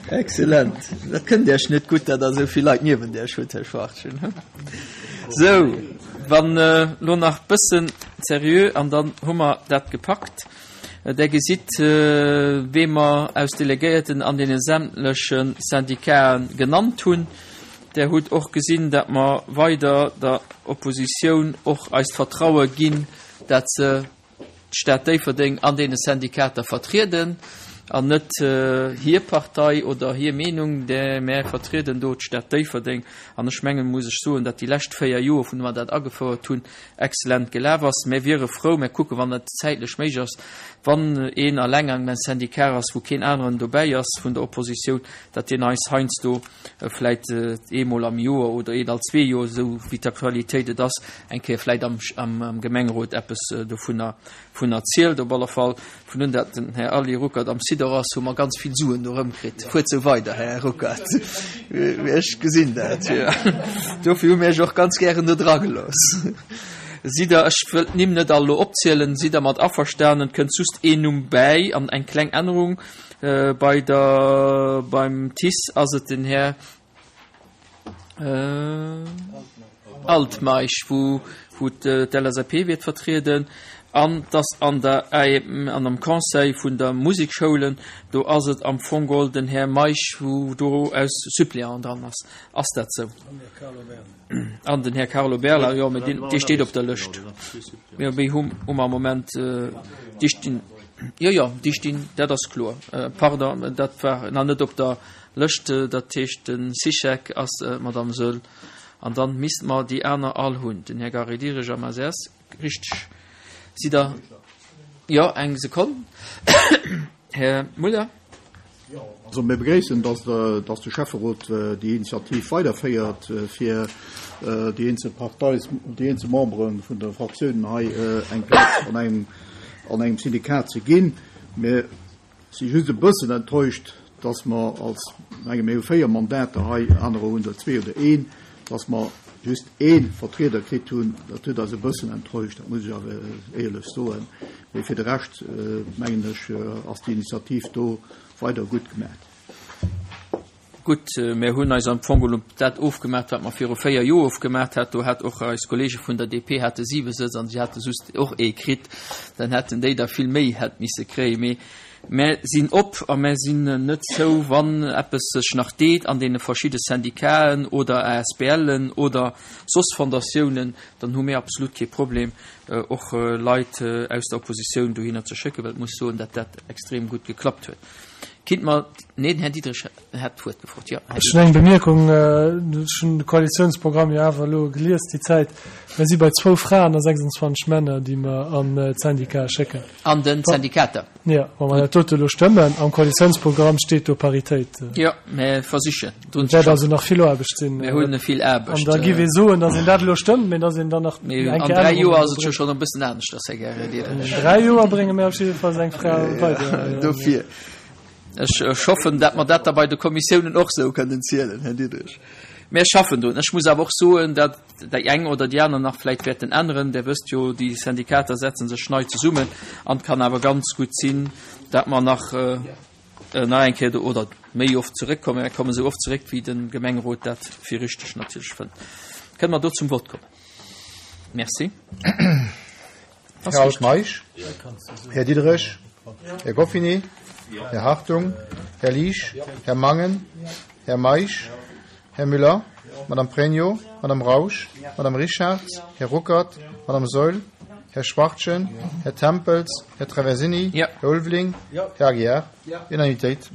Excellent. Dat kënnt Iech net gutt, datt Der esou vill Leit niewent Iech hutt, Här Schwachtgen. Sou, wann elo nach bëssen seriö an dann hu mer dat gepackt. Der gesitt, wee mer aus Delegéierten an deene sämtleche Syndicaten genannt hunn. Der hutt och gesinn, datt mer weider der Oppositioun och eist Vertraue ginn, dat se d'Stad Déifferdeng an deene Syndikater vertrieden an net hir Partei oder hir Meenung, mä vertrieden do d'Stad Déifferdeng. An ech mengen, muss ech soen, datt déi lescht 4 Joer, vun mer dat agefouert hunn, excellent gelaf ass. Mär wiere frou, mär kucken, wann dat zäitlech méiglech ass, wann een eleng an engem Syndicat ass, wou keen aneren dobäi ass vun der Oppositioun, datt deen eis heiansdo vläit eemol am Joer oder een all zwee Joer, esou wéi d'Aktualitéit et ass, eng Kéier vläit am Gemengerot eppes dovunner vun erzielt. Op alle Fall, vun un dat den Här Aly Ruckert am Sidor ass, hu mer ganz vill Suen do erëmkritt. Fuert sou weider, Här Ruckert. Ech gesinn dat, jo. Dofir hu mir Iech och ganz gären do dra gelooss. Sidd Der, ech wëll d'Nimm net all elo opzielen, sidd Der mat averstanen? Et kënnt just een Numm bäi an eng kleng Ännerung. Bei der, beim TICE ass et den Här Altmeisch, wou wou d'LSAP wäert vertrieden. An dass an der an am Conseil vun der Musekschoulen, do ass et am Fong geholl den Här Meisch, wou do aus Suppléant dran ass. Ass dat sou? An den Här Carlo Berla, jo, mä deen, dee steet op der Lëscht. Jo, méi hu hu mer am Moment, déi stinn, jo, jo, déi stinn, dat ass kloer. Pardon, dat war nach net op der Lëscht. Dat heescht, de Sichek ass d'Madame Soehl. An dann misste mer déi aner all hunn. Den Här Gary Diderich am ACS, richteg? Sidd Der, jo, eng Sekonn, Här Muller. Also mir begréissen, dass dass de Schäfferot déi Initiativ weiderféiert, fir déi eenzel Partei, déi eenzel Membere vun de Fraktiounen hei eng Plaz an engem an engem Syndikat ze ginn. Mir si just e bëssen enttäuscht, dass mer als, menge mir hu 4 Mandater hei, anerer hunn der zwee oder een, dass mer just ee Vertrieder kritt hunn. Dat huet eis e bëssen enttäuscht, dat muss ech awer éierlech soen. Mee fir de Rescht, mengen ech, ass déi Initiativ do weider gutt gemaach. Gutt, mir hunn eis am Fong elo dat ofgemaach, wat mer viru 4 Joer ofgemaach hat. Do hat och eis Kollege vun der DP hate siwe Sëtz an si hate just och ee kritt. Dann hätten déi der vill méi hätt misse kréien. Mee mär sinn op a mär sinn net zou, wann eppes sech nach deet an deene verschidde Syndicaten oder ASBLen oder soss Fondatiounen, dann hu mir absolut kee Problem, och Leit aus der Oppositioun dohinner ze schécken, well et muss soen, datt dat extrem gutt geklappt huet. Kinnt mer, nee, den Här Diderich hat d'Wuert gefrot. Jo, Här Ech hunn eng Bemierkung, ech hunn de Koalitiounsprogramm jo awer elo gelies déi Zäit. Mir si bei zwou Fraen a 26 Männer, déi mer an d'Syndicatë schécken. An de Syndikater. Jo, wa mer dat dote elo stëmmen, am Koalitiounsprogramm steet do Paritéit. Jo, mir versichen drun ze schaffen. Et wäert also nach vill Aarbecht sinn. Mir hunn vill Aarbecht. An da giff ee soen, datt een dat elo stëmmt, mee datt een dann nach eng Kéier An dräi Joer ass et jo schonn e bëssen aneschters, Här Diderich. An dräi Joer brénge mir op jidde Fall eng Fra weider. Dofir. Ech hoffen, datt mer dat da bei de Kommissiounen och esou kënnen zielen, Här Diderich. Mir schaffen drun. Ech muss awer och soen, datt déi eng oder déi aner nach vläicht wäerten änneren. Där wësst jo, déi Syndikater setze sech nei zesummen an et kann awer ganz gutt sinn, datt mer nach nach eng Kéier do oder méi oft zeréckkommen. Mir kommen esou oft zeréck, wéi de Gemengerot dat fir richteg natierlech fënnt. Kënne mer do zum Vott kommen? Merci. Här Altmeisch, Här Diderich, Här Goffinet, Här Hartung, Här Liesch, Här Mangen, Här Meisch, Här Müller, Madame Pregno, Madame Rausch, Madame Richarz, Här Ruckert, Madame Saeul, Här Schwachtgen, Här Tempels, Här Traversini, Här Ulveling, Här Aguiar. Unanimitéit.